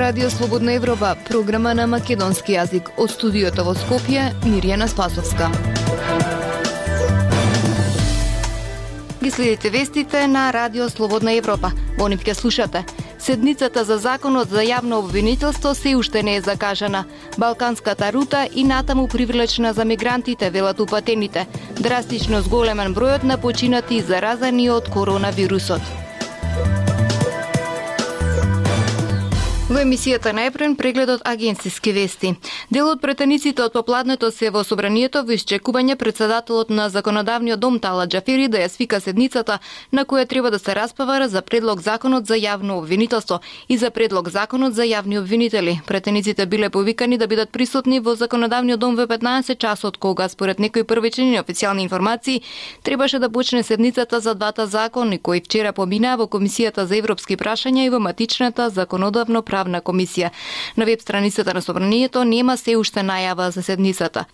Радио Слободна Европа, програма на македонски јазик. Од студиото во Скопје, Мирјана Спасовска. Ги следите вестите на Радио Слободна Европа. Во нив ќе слушате. Седницата за законот за јавно обвинителство се уште не е закажана. Балканската рута и натаму привлечна за мигрантите, велат упатените. Драстично зголемен бројот на починати и заразени од коронавирусот. Во емисијата најпрен прегледот агенциски вести. Дел од претениците од попладнето се во собранието во исчекување председателот на законодавниот дом Талат Џафери да ја свика седницата на која треба да се распавара за предлог законот за јавно обвинителство и за предлог законот за јавни обвинители. Претениците биле повикани да бидат присутни во законодавниот дом во 15 часот, кога според некои првични официјални информации требаше да почне седницата за двата закони кои вчера поминаа во Комисијата за европски прашања и во матичната законодавно правна комисија. На веб страницата на собранието нема се уште најава за седницата.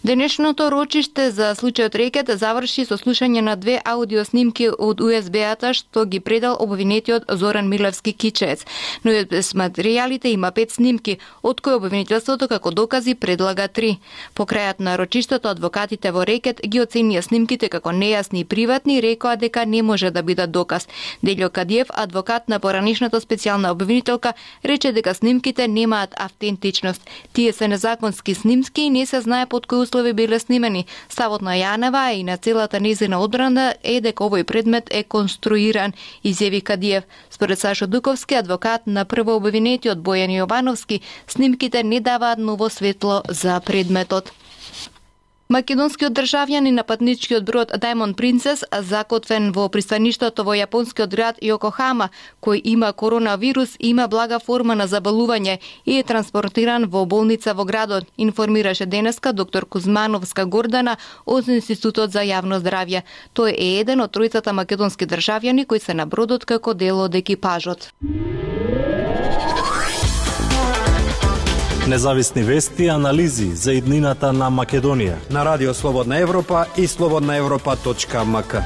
Денешното рочиште за случајот Рекет заврши со слушање на 2 аудиоснимки од USB-ата што ги предал обвинетиот Зоран Милевски Кичеец. Но без материјалите има 5 снимки, од кои обвинителството како докази предлага 3. По крајот на рочиштето адвокатите во Рекет ги оценија снимките како нејасни и приватни и рекоа дека не може да бидат доказ. Делјо Кадиев, адвокат на поранишната специјална обвинителка, рече дека снимките немаат автентичност. Тие се незаконски снимки и не се знае под кои услови биле снимени. Ставот на Јанева и на целата незина одбрана е дека овој предмет е конструиран, изјави Кадиев. Според Сашо Дуковски, адвокат на прво обвинетиот Бојан Јовановски, снимките не даваат ново светло за предметот. Македонскиот државјанин на патничкиот брод Diamond Princess, закотвен во пристаништето во јапонскиот град Јокохама, кој има коронавирус, има блага форма на заболување и е транспортиран во болница во градот, информираше денеска доктор Кузмановска Гордана од Институтот за јавно здравје. Тој е еден од тројцата македонски државјани кои се на бродот како дел од екипажот. Независни вести и анализи за иднината на Македонија на Радио Слободна Европа и slobodnaevropa.mk.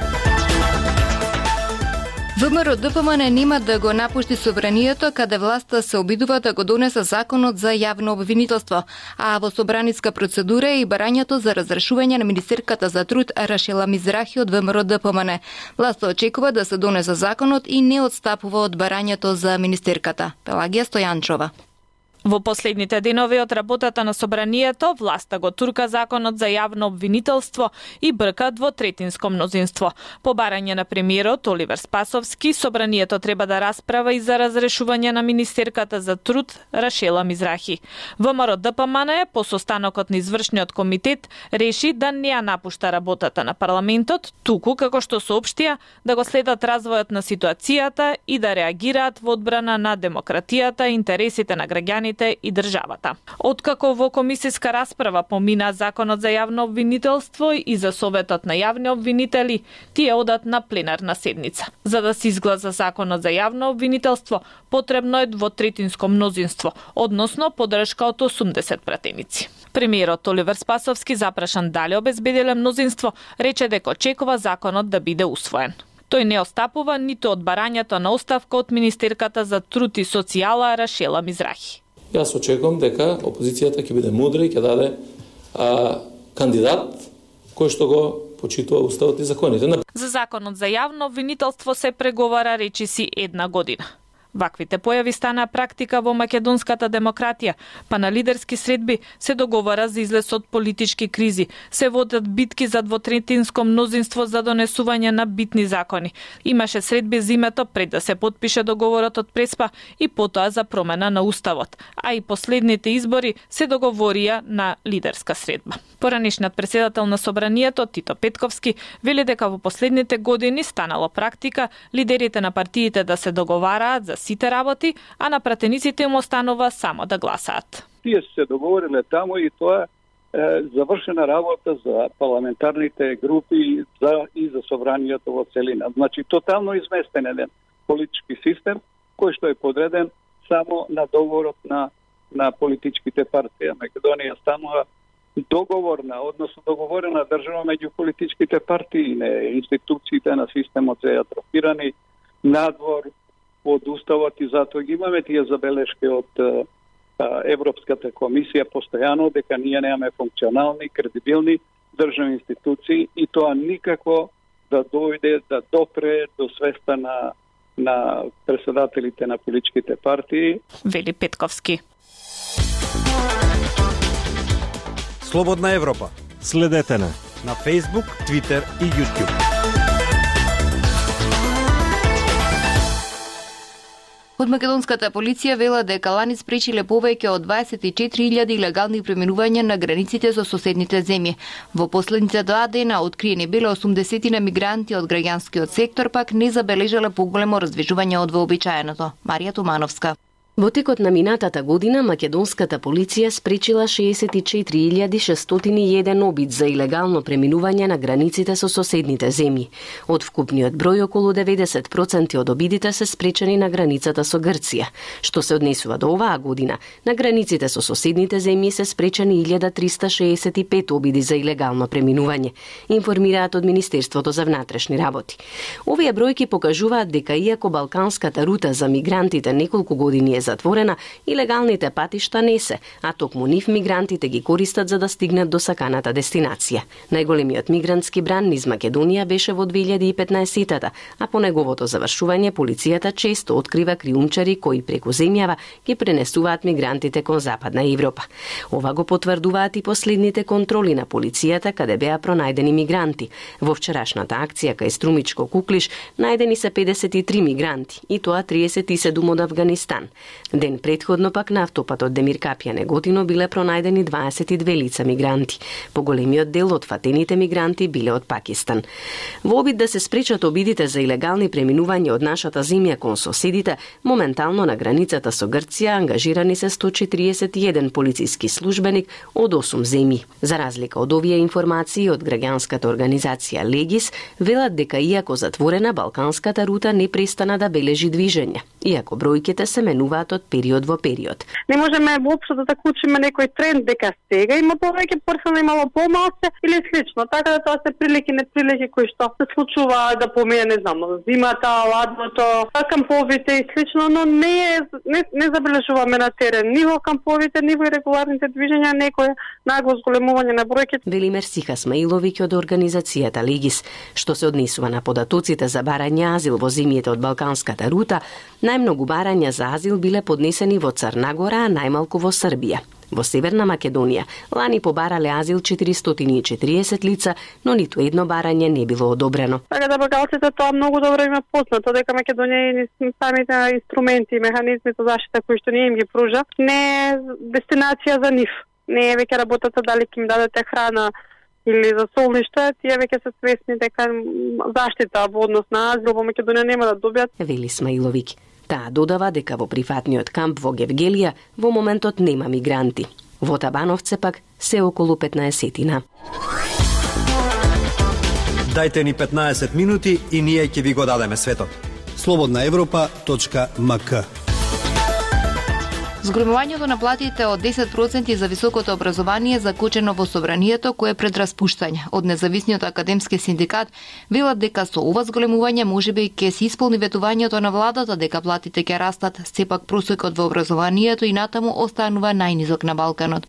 ВМРО ДПМН нема да го напушти собранието каде власта се обидува да го донесе законот за јавно обвинителство, а во собраниска процедура е и барањето за разрешување на министерката за труд Рашела Мизрахи од ВМРО ДПМН. Власта очекува да се донесе законот и не отстапува од барањето за министерката. Пелагија Стојанчова. Во последните денови од работата на собранието, власта го турка законот за јавно обвинителство и бркат во третинско мнозинство. По барање на премиерот Оливер Спасовски, собранието треба да расправа и за разрешување на министерката за труд Рашела Мизрахи. ВМРО ДПМН по состанокот на извршниот комитет реши да не ја напушта работата на парламентот, туку како што соопштија да го следат развојот на ситуацијата и да реагираат во одбрана на демократијата и интересите на граѓаните и државата. Откако во комисиска расправа помина законот за јавно обвинителство и за Советот на јавни обвинители, тие одат на пленарна седница. За да се изгласа законот за јавно обвинителство, потребно е двотретинско мнозинство, односно поддршка од 80 пратеници. Премиерот Оливер Спасовски, запрашан дали обезбедиле мнозинство, рече дека очекува законот да биде усвоен. Тој не остапува ниту од барањето на оставка од министерката за труд и социјала Рашела Мизрахи. Јас очекувам дека опозицијата ќе биде мудра и ќе даде кандидат кој што го почитува уставот и законите. За законот за јавно обвинителство се преговара речиси 1 година. Ваквите појави стана практика во македонската демократија, па на лидерски средби се договара за излез од политички кризи, се водат битки за двотретинско мнозинство за донесување на битни закони. Имаше средби зимето пред да се потпише договорот од Преспа и потоа за промена на уставот, а и последните избори се договорија на лидерска средба. Поранишниот председател на собранието Тито Петковски вели дека во последните години станало практика лидерите на партиите да се договараат за сите работи, а на пратениците им останува само да гласаат. Тие се договориле таму и тоа е завршена работа за парламентарните групи и за собранието во целина. Значи, тотално изместен еден политички систем кој што е подреден само на договорот на политичките партии. Македонија станува договорена држава меѓу политичките партии, институциите на системот се атрофирани, надвор, од уставот и затоа ги имаме тие забелешки од Европската комисија постојано дека ние немаме функционални, кредибилни државни институции и тоа никако да дојде, да допре до свеста на председателите на политичките партии. Вели Петковски. Слободна Европа. Следете на Facebook, Twitter и YouTube. Од македонската полиција вела дека лани спречиле повеќе од 24.000 илегални преминувања на границите со соседните земји. Во последните 2 дена откриени биле 80 мигранти од граѓанскиот сектор, пак не забележале поголемо раздвижување од вообичаеното. Марија Тумановска. Во текот на минатата година македонската полиција спречила 64.601 обид за илегално преминување на границите со соседните земји. Од вкупниот број околу 90% од обидите се спречени на границата со Грција. Што се однесува до оваа година, на границите со соседните земји се спречени 1365 обиди за илегално преминување, информираат од Министерството за внатрешни работи. Овие бројки покажуваат дека иако балканската рута за мигрантите неколку години е затворена, илегалните патишта не се, а токму нив мигрантите ги користат за да стигнат до саканата дестинација. Најголемиот мигрантски бран низ Македонија беше во 2015-тата, а по неговото завршување полицијата често открива криумчари кои преку земјава ги пренесуваат мигрантите кон Западна Европа. Ова го потврдуваат и последните контроли на полицијата каде беа пронајдени мигранти. Во вчерашната акција кај Струмичко Куклиш најдени се 53 мигранти, и тоа 37 од Авганистан. Ден предходно пак на автопатот Демир Капија Неготино биле пронајдени 22 лица мигранти. Поголемиот дел од фатените мигранти биле од Пакистан. Во обид да се спречат обидите за илегални преминувања од нашата земја кон соседите, моментално на границата со Грција ангажирани се 141 полициски службеник од 8 земји. За разлика од овие информации од граѓанската организација Легис, велат дека иако затворена балканската рута не престана да бележи движење, иако бројките се менуваат од период во период. Не можеме воопшто да заклучиме некој тренд дека сега има повеќе персона, имало помалку или слично. Така да тоа се прилики неприлики кои што се случува да помине, не знам, зимата, ладното, камповите и слично, но не забележуваме на терен ни во камповите, ни во регуларните движења некој нагло зголемување на бројките. Велимер Сихасмаиловиќ од организацијата Легис, што се однесува на податоците за барање азил во земјите од балканската рута, најмногу барања за азил биле поднесени во Црна Гора, а најмалку во Србија. Во Северна Македонија лани побарале азил 440 лица, но ниту едно барање не било одобрено. Така да бакалците тоа многу добро има познато, дека Македонија и самите инструменти и механизми за заштита кои што ние им ги пружа, не е дестинација за нив. Не е веќе работата дали ќе им дадете храна или за солниште, тие веќе се свесни дека заштита во однос на азил во Македонија нема да добијат. Вели Смаиловиќ. Таа додава дека во приватниот камп во Гевгелија во моментот нема мигранти. Во Табановце пак се околу 15-тина. Дајте ни 15 минути и ние ќе ви го дадеме светот. slobodnaevropa.mk. Зголемувањето на платите од 10% за високото образование закучено во собранието кое е пред распуштање. Од независниот академски синдикат велат дека со ова зголемување можеби ќе се исполни ветувањето на владата дека платите ќе растат, сепак просекот во образованието и натаму останува најнизок на Балканот.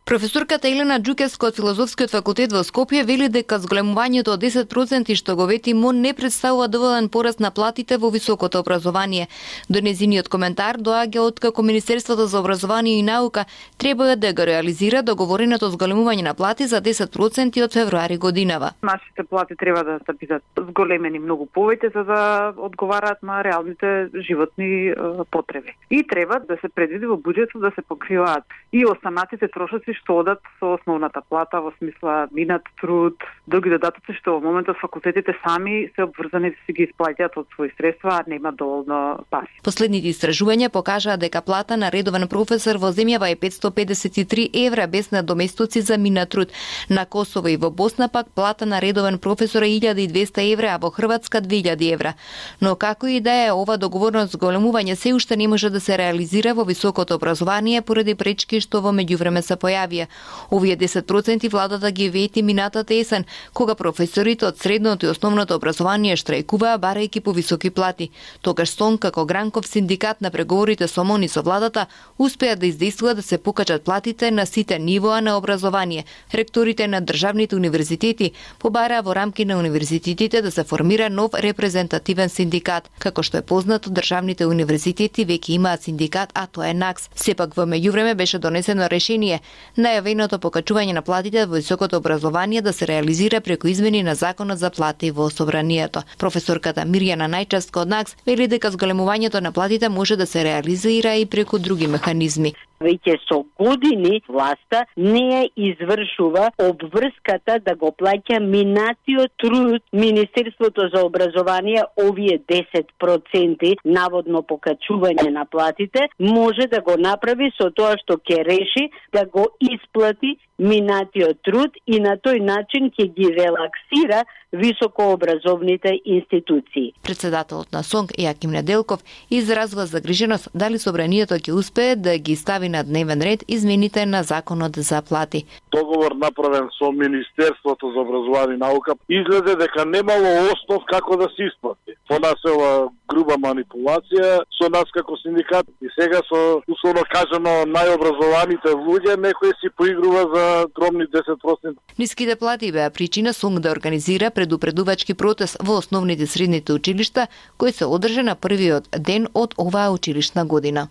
Професорката Елена Џукевска од Филозофскиот факултет во Скопје вели дека зголемувањето од 10% што го вети МОН не представува доволен пораст на платите во високото образование. До незиниот коментар доаѓа откако Министерството за образование и наука треба да го реализира договореното зголемување на плати за 10% од февруари годинава. Нашите плати треба да бидат зголемени многу повеќе за да одговараат на реалните животни потреби. И треба да се предвиди во буџетот да се покриваат и останатите трошоци што одат со основната плата, во смисла минат труд, други додатоци што во моментот факултетите сами се обврзани да си ги исплаќаат од своји средства, а нема доволно пари. Последните истражувања покажаа дека плата на редовен професор во земјава е 553 евра без надоместоци за минат труд. На Косово и во Босна пак плата на редовен професор е 1200 евра, а во Хрватска 2000 евра. Но како и да е, ова договорно зголемување се уште не може да се реализира во високото образование поради пречки што во меѓувреме се појавија. изјавија. Овие 10% владата ги вети минатата есен, кога професорите од средното и основното образование штрајкуваа барајќи повисоки плати. Тогаш СОН како гранков синдикат на преговорите со МОН и со владата успеа да издействува да се покачат платите на сите нивоа на образование. Ректорите на државните универзитети побараа во рамки на универзитетите да се формира нов репрезентативен синдикат. Како што е познато, државните универзитети веќе имаат синдикат, а тоа е НАКС. Сепак во меѓувреме беше донесено решение најавеното покачување на платите во високото образование да се реализира преку измени на законот за плати во собранието. Професорката Мирјана Најчевска од НАКС вели дека зголемувањето на платите може да се реализира и преку други механизми. Веќе со години власта не ја извршува обврската да го плаќа минатиот труд Министерството за образование. Овие 10% наводно покачување на платите може да го направи со тоа што ќе реши да го исплати минатиот труд и на тој начин ќе ги релаксира високообразовните институции. Председателот на СОНК Јаким Неделков изразува загриженост дали собранието ќе успее да ги стави на дневен ред измените на законот за плати. Договор направен со Министерството за образование и наука изгледа дека немало основ како да се исплати. По нас е ова груба манипулација со нас како синдикат и сега со условно кажано најобразованите луѓе некој си поигрува за дромни 10%. Ниските плати беа причина СОНК да организира предупредувачки протест во основните и средните училишта, кој се одржа на првиот ден од оваа училишна година.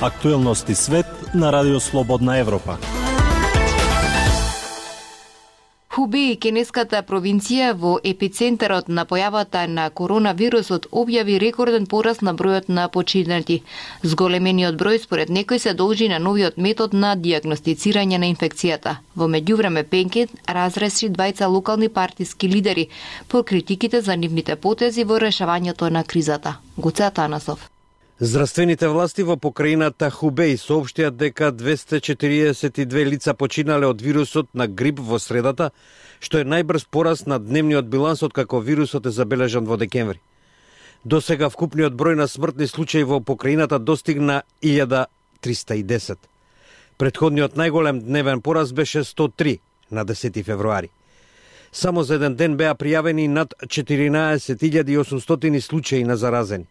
Актуелности свет на Радио Слободна Европа. Хубеј, кенеската провинција во епицентарот на појавата на коронавирусот, објави рекорден пораст на бројот на починати. Зголемениот број според некој се должи на новиот метод на дијагностицирање на инфекцијата. Во меѓувреме Пенкет разреши двајца локални партиски лидери по критиките за нивните потези во решавањето на кризата. Гоце Атанасов. Здравствените власти во покрајината Хубеј соопштија дека 242 лица починале од вирусот на грип во средата, што е најбрз пораст на дневниот биланс од како вирусот е забележан во декември. До сега вкупниот број на смртни случаи во покрајината достигна 1310. Претходниот најголем дневен пораст беше 103 на 10 февруари. Само за еден ден беа пријавени над 14.800 случаи на заразени.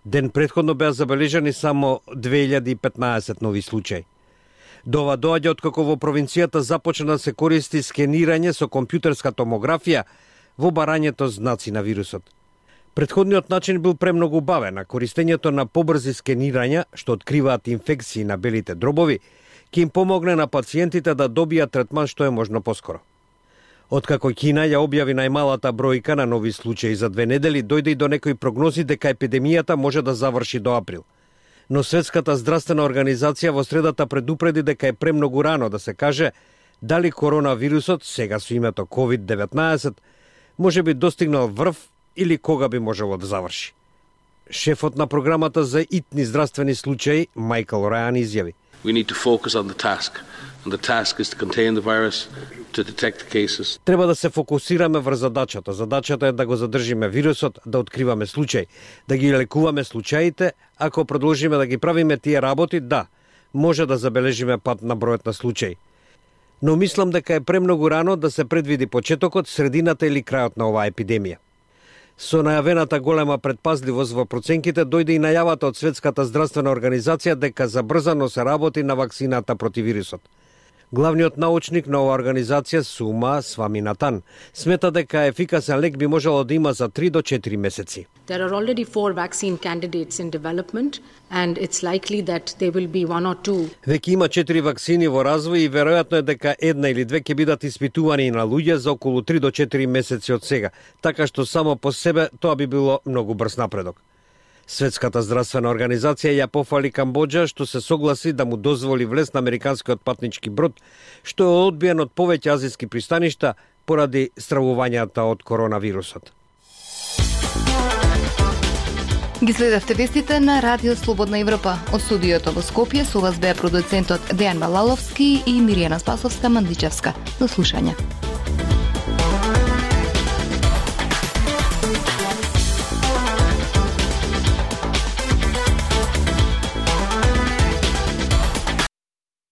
Ден претходно беа забележани само 2015 нови случаи. До ова доаѓа откако во провинцијата започна да се користи скенирање со компјутерска томографија во барањето знаци на вирусот. Претходниот начин бил премногу бавен, а користењето на побрзи скенирања, што откриваат инфекции на белите дробови, ќе им помогне на пациентите да добијат третман што е можно поскоро. Откако Кина ја објави најмалата бројка на нови случаи за 2 недели, дојде и до некои прогнози дека епидемијата може да заврши до април. Но Светската здравствена организација во средата предупреди дека е премногу рано да се каже дали коронавирусот, сега со името COVID-19, може би достигнал врв или кога би можело да заврши. Шефот на програмата за итни здравствени случаи, Майкл Рајан, изјави: We need to focus on the task, and the task is to contain the virus, to detect the cases. Треба да се фокусираме врз задачата. Задачата е да го задржиме вирусот, да откриваме случаи, да ги лекуваме случаите. Ако продолжиме да ги правиме тие работи, да, може да забележиме пат на бројот на случаи. Но мислам дека е премногу рано да се предвиди почетокот, средината или крајот на оваа епидемија. Со најавената голема предпазливост во проценките дојде и најавата од Светската здравствена организација дека забрзано се работи на вакцината против вирусот. Главниот научник на оваа организација, Сума Сваминатан, смета дека ефикасен лек би можело да има за 3 до 4 месеци. There are already 4 vaccine candidates in development and it's likely that there will be 1 or 2. Веќе има 4 вакцини во развој и веројатно е дека 1 или 2 ќе бидат испитувани на луѓе за околу 3 до 4 месеци од сега, така што само по себе тоа би било многу брз напредок. Светската здравствена организација ја пофали Камбоџа што се согласи да му дозволи влез на американскиот патнички брод, што е одбиен од повеќе азиски пристаништа поради стравувањата од коронавирусот. Ги следевте вестите на Радио Слободна Европа. Од студиото во Скопје со вас беа продуцентот Дејан Балаловски и Мирјана Спасовска-Мандичевска. До слушање.